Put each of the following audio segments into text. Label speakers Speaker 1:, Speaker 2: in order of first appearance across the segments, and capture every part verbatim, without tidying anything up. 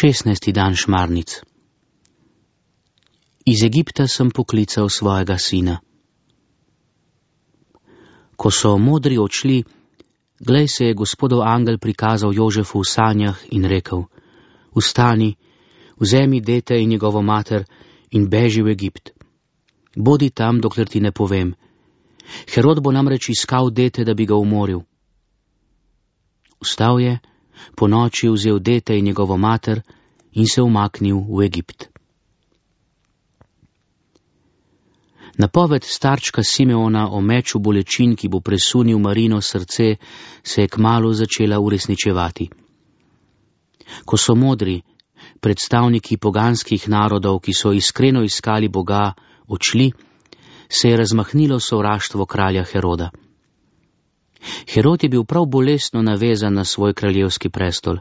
Speaker 1: šestnajsti dan šmarnic. Iz Egipta sem poklical svojega sina. Ko so modri odšli, glej, se je Gospodov angel prikazal Jožefu v sanjah in rekel: Vstani, vzemi dete in njegovo mater in beži v Egipt. Bodi tam, dokler ti ne povem. Herod bo namreč iskal dete, da bi ga umoril. Vstal je, po noči vzel dete in njegovo mater in se umaknil v Egipt. Napoved starčka Simeona o meču bolečin, ki bo presunil Marino srce, se je kmalu začela uresničevati. Ko so modri, predstavniki poganskih narodov, ki so iskreno iskali Boga, odšli, se je razmahnilo sovraštvo kralja Heroda. Herod je bil prav bolestno navezan na svoj kraljevski prestol.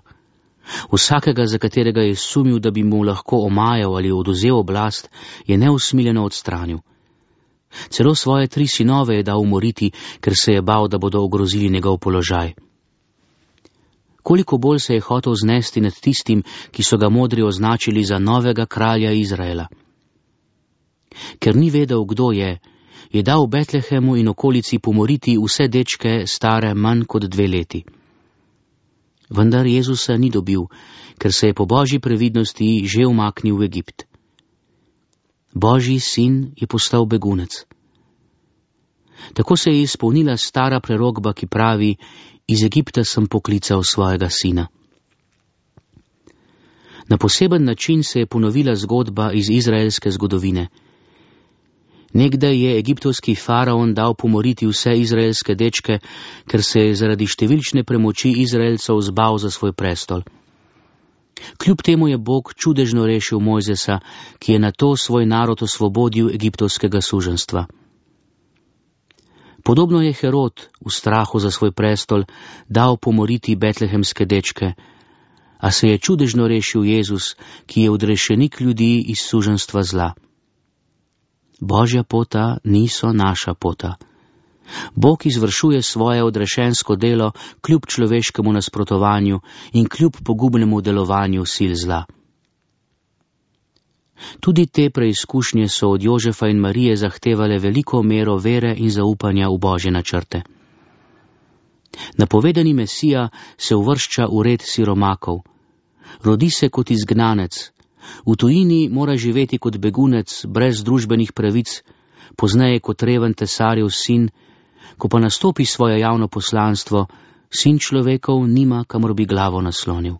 Speaker 1: Vsakega, za katerega je sumil, da bi mu lahko omajal ali oduzel oblast, je neusmiljeno odstranil. Celo svoje tri sinove je dal umoriti, ker se je bal, da bodo ogrozili njegov položaj. Koliko bolj se je hotel znesti nad tistim, ki so ga modri označili za novega kralja Izraela. Ker ni vedel, kdo je, je dal v Betlehemu in okolici pomoriti vse dečke stare manj kot dve leti. Vendar Jezusa ni dobil, ker se je po božji previdnosti že umaknil v Egipt. Božji sin je postal begunec. Tako se je izpolnila stara prerokba, ki pravi: Iz Egipta sem poklical svojega sina. Na poseben način se je ponovila zgodba iz izraelske zgodovine. Nekdaj je egiptovski faraon dal pomoriti vse izraelske dečke, ker se je zaradi številčne premoči Izraelcev zbal za svoj prestol. Kljub temu je Bog čudežno rešil Mojzesa, ki je nato svoj narod osvobodil egiptovskega suženjstva. Podobno je Herod v strahu za svoj prestol dal pomoriti betlehemske dečke, a se je čudežno rešil Jezus, ki je odrešenik ljudi iz suženjstva zla. Božja pota niso naša pota. Bog izvršuje svoje odrešensko delo kljub človeškemu nasprotovanju in kljub pogubnemu delovanju sil zla. Tudi te preizkušnje so od Jožefa in Marije zahtevale veliko mero vere in zaupanja v Božje načrte. Napovedani Mesija se uvršča v red siromakov. Rodi se kot izgnanec, v tujini mora živeti kot begunec brez družbenih pravic, pozneje kot reven tesarjev sin, ko pa nastopi svoje javno poslanstvo, sin človekov nima, kamor bi glavo naslonil.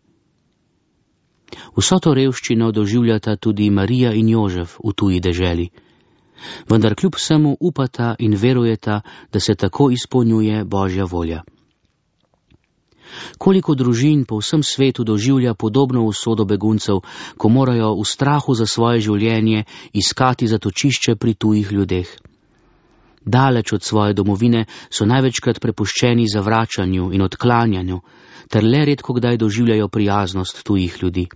Speaker 1: Vso to revščino doživljata tudi Marija in Jožef v tuji deželi, vendar kljub vsemu upata in verujeta, da se tako izpolnjuje Božja volja. Koliko družin po vsem svetu doživlja podobno usodo beguncev, ko morajo v strahu za svoje življenje iskati zatočišče pri tujih ljudeh. Daleč od svoje domovine so največkrat prepuščeni zavračanju in odklanjanju, ter le redko kdaj doživljajo prijaznost tujih ljudi.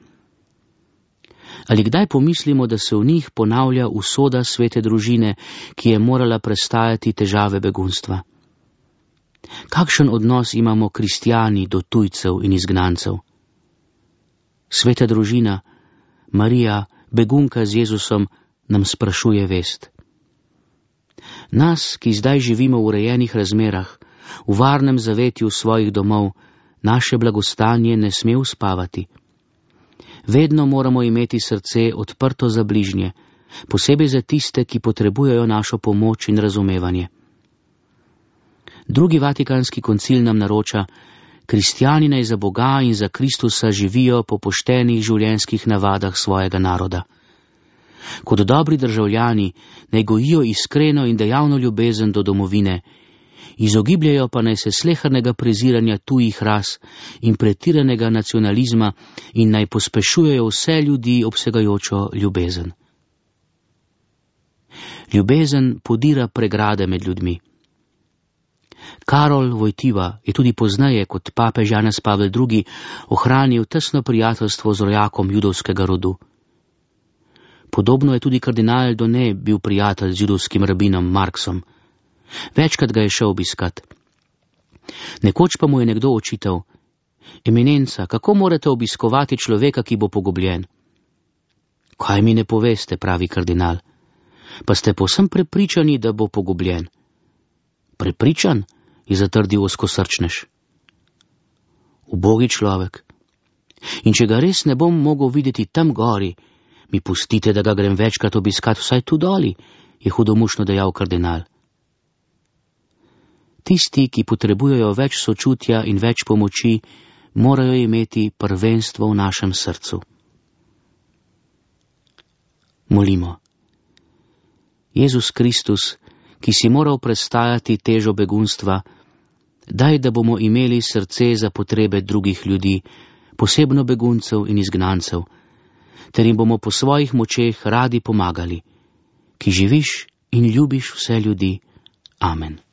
Speaker 1: Ali kdaj pomislimo, da se v njih ponavlja usoda svete družine, ki je morala prestajati težave begunstva? Kakšen odnos imamo kristjani do tujcev in izgnancev? Sveta družina, Marija, begunka z Jezusom, nam sprašuje vest. Nas, ki zdaj živimo v urejenih razmerah, v varnem zavetju svojih domov, naše blagostanje ne sme uspavati. Vedno moramo imeti srce odprto za bližnje, posebej za tiste, ki potrebujejo našo pomoč in razumevanje. Drugi vatikanski koncil nam naroča: kristjani naj za Boga in za Kristusa živijo po poštenih življenjskih navadah svojega naroda. Kot dobri državljani naj gojijo iskreno in dejavno ljubezen do domovine, izogibljajo pa naj se slehernega preziranja tujih ras in pretiranega nacionalizma in naj pospešujejo vse ljudi obsegajočo ljubezen. Ljubezen podira pregrade med ljudmi. Karol Vojtiva je tudi pozneje kot papež Janez Pavel drugi ohranil tesno prijateljstvo z rojakom judovskega rodu. Podobno je tudi kardinal Done bil prijatelj z judovskim rabinom Marksom. Večkrat ga je šel obiskat. Nekoč pa mu je nekdo očital: Eminenca, kako morate obiskovati človeka, ki bo pogubljen? Kaj mi ne poveste, pravi kardinal. Pa ste povsem prepričani, da bo pogubljen? Prepričan, je zatrdil ozkosrčnež. Ubogi človek. In če ga res ne bom mogel videti tam gori, mi pustite, da ga grem večkrat obiskat vsaj tu doli, je hudomušno dejal kardinal. Tisti, ki potrebujejo več sočutja in več pomoči, morajo imeti prvenstvo v našem srcu. Molimo. Jezus Kristus, ki si moral prestajati težo begunstva, daj, da bomo imeli srce za potrebe drugih ljudi, posebno beguncev in izgnancev, ter jim bomo po svojih močeh radi pomagali, ki živiš in ljubiš vse ljudi. Amen.